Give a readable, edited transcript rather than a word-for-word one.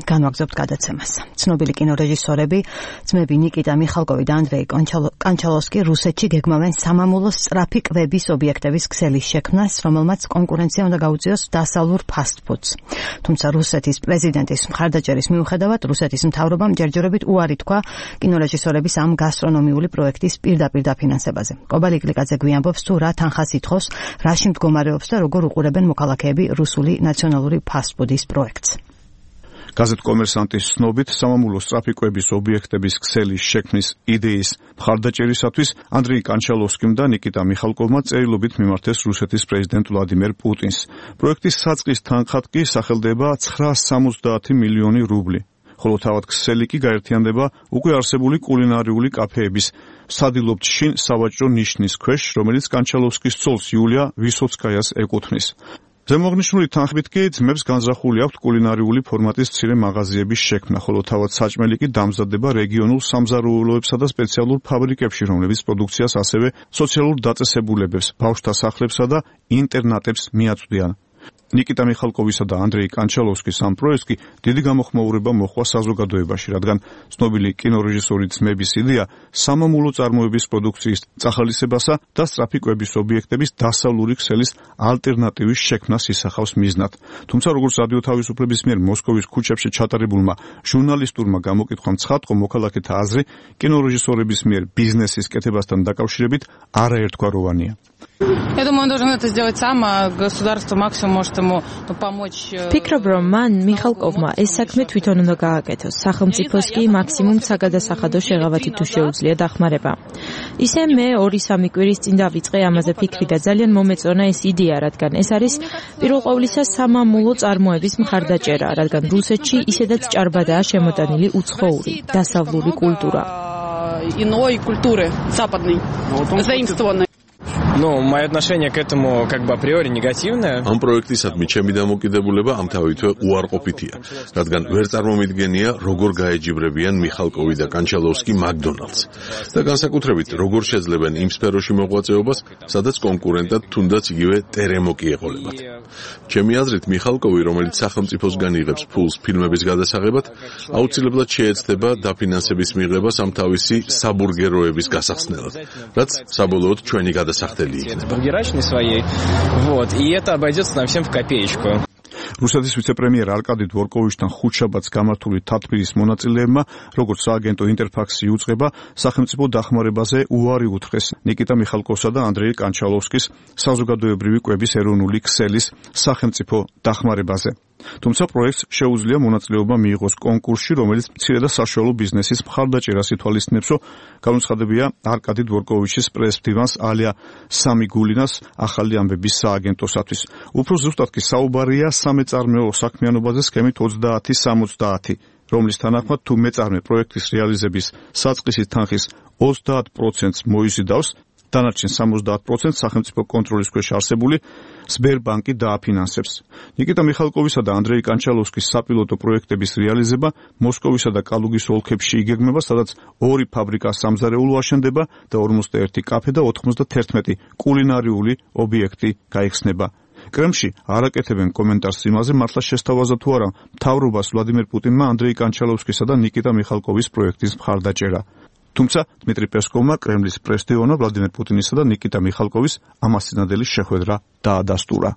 განვაგრძობთ გადაცემას. ცნობილი კინორეჟისორები, ძმები ნიკიტა მიხალკოვი და ანდრეი კანჩალოვსკი რუსეთში გეგმავენ სამამულო სწრაფი კვების ობიექტების ქსელის შექმნას, რომელმაც კონკურენცია უნდა გაუწიოს დასავლურ ფასტ-ფუდს. თუმცა რუსეთის პრეზიდენტის მხარდაჭერის მიუხედავად, რუსეთის მთავრობამ ჯერჯერობით უარი თქვა კინორეჟისორების ამ გასტრონომიული პროექტის პირდაპირ დაფინანსებაზე. კობალი გლიკაძე გვიამბობს თუ რა თანხას ითხოვს, რაში მდგომარეობს და როგორ უყურებენ მოქალაქეები რუსული ნაციონალური ფასტ-ფუდის პროექტს. გაზეთ კომერსანტის ცნობით, სამამულო სწრაფი კვების ობიექტების ქსელის შექმნის იდეის მხარდაჭერისათვის ანდრეი კანჩალოვსკიმ და ნიკიტა მიხალკოვმა წერილობით მიმართეს რუსეთის პრეზიდენტ ვლადიმერ პუტინს. პროექტის საწყის თანხად კი სახელდება 970 მილიონი რუბლი. ხოლო თავად ქსელი კი გაერთიანდება უკვე არსებული კულინარიული კაფეების სადილობთ შინ სავაჭრო ნიშნის ქვეშ, რომელიც კანჩალოვსკის ცოლს იულია ვისოცკაიას ეკუთვნის. ზემოაღნიშნული თანხმით კი ძმებს განზრახული აქვთ კულინარიული ფორმატის მცირე მაღაზიების შექმნა, ხოლო თავად საჭმელი კი დამზადდება რეგიონულ სამზარეულოებსა და სპეციალურ ფაბრიკებში, რომლებიც პროდუქციას ასევე სოციალურ დაწესებულებებს, ბავშვთა სახლებსა და ინტერნატებს მიაწვდიან. ნიკიტა მიხალკოვისა და ანდრეი კანჩალოვსკის ამ პროექტს კი დიდი გამოხმაურება მოჰყვა საზოგადოებაში, რადგან ცნობილი კინორეჟისორი ძმების იდეა სამამულო წარმოების პროდუქციის წახალისებასა და სწრაფი კვების ობიექტების დასავლური ქსელის ალტერნატივის შექმნას ისახავს მიზნად. თუმცა როგორც რადიო თავისუფლების მიერ მოსკოვის ქუჩებში ჩატარებულმა ჟურნალისტურმა გამოკითხვამ ცხადყო, მოქალაქეთა აზრი კინორეჟისორების მიერ ბიზნესის კეთებასთან დაკავშირებით არაერთგვაროვანია. Я думаю, он должен это сделать сам, а государство максимум может ему помочь. Ფიქრობ, რომ მან მიხალკოვმა ეს საქმე თვითონ უნდა გააკეთოს. სახელმწიფოს კი მაქსიმუმ საგადასახადო შეღავათი თუ შეუძლია დახმარება. ისე მე 2-3 კვირის წინ დავიწყე ამაზე ფიქრი და ძალიან მომეწონა ეს იდეა, რადგან ეს არის პირველ ყოვლისა სამამულო წარმოების მხარდაჭერა, რადგან რუსეთში ისედაც ჭარბადაა შემოტანილი უცხოური, დასავლური კულტურა. Иной культуры, западной, заимствованной. Ну, мое отношение к этому как бы априори негативное. Ამ პროექტისადმი ჩემი დამოკიდებულება ამ თავითვე უარყოფითია, რადგან ვერ წარმომიდგენია როგორ გაეჯიბრებიან მიხალკოვი და კანჩალოვსკი მაკდონალდს და განსაკუთრებით როგორ შეძლებენ იმ სფეროში მოღვაწეობას, სადაც კონკურენტად თუნდაც იგივე ტერემოკი ეყოლებათ. ჩემი აზრით მიხალკოვი, რომელიც სახელმწიფოსგან იღებს ფულს ფილმების გადასაღებად, აუცილებლად შეეცდება დაფინანსების მიღებას ამ თავისი საბურგეროების გასახსნელად, რაც საბოლოოდ ჩვენი გადასახდელი бургерачной своей, вот, и это обойдется нам всем в копеечку. რუსეთის ვიცე-პრემიერ არკადი დვორკოვიჩთან ხუთშაბათს გამართული თათბირის მონაწილეებმა, როგორც სააგენტო ინტერფაქსი იუწყება, სახელმწიფო დახმარებაზე უარი უთხრეს ნიკიტა მიხალკოვსა და ანდრეი კანჩალოვსკის საზოგადოებრივი კვების ეროვნული ქსელის სახელმწიფო დახმარებაზე. თუმცა პროექტს შეუძლია მონაწილეობა მიიღოს კონკურსში, რომელიც მცირე და საშუალო ბიზნესის მხარდაჭერას ითვალისწინებს, რომ განუცხადებია არკადი დვორკოვიჩის პრეს-მდივანს ალია სამიგულინას ახალი ამბების სააგენტოსათვის. უფრო ზუსტად კი საუბარია სამეწარმეო საქმიანობაზე სქემით 30-70, რომლის თანახმად თუ მეწარმე პროექტის რეალიზების საწყისი თანხის 30%-ს მოიზიდავს, დანარჩენ 70% სახელმწიფო კონტროლის ქვეშ არსებული სბერბანკი დააფინანსებს. ნიკიტა მიხალკოვისა და ანდრეი კანჩალოვსკის საპილოტო პროექტების რეალიზება მოსკოვისა და კალუგის ოლქებში იგეგმება, სადაც 2 ფაბრიკა სამზარეულო აშენდება და 51 კაფე და 91 კულინარიული ობიექტი გაიხსნება. კრემლში არაკეთებენ კომენტარს იმაზე, მართლა შესთავაზა თუ არა მთავრობას ვლადიმერ პუტინმა ანდრეი კანჩალოვსკისა და ნიკიტა მიხალკოვის პროექტის მხარდაჭერა. თუმცა დმიტრი პესკოვმა კრემლის პრეს-დევანმა ვლადიმერ პუტინისა და ნიკიტა მიხალკოვის ამასწინებელი შეხვედრა დაადასტურა.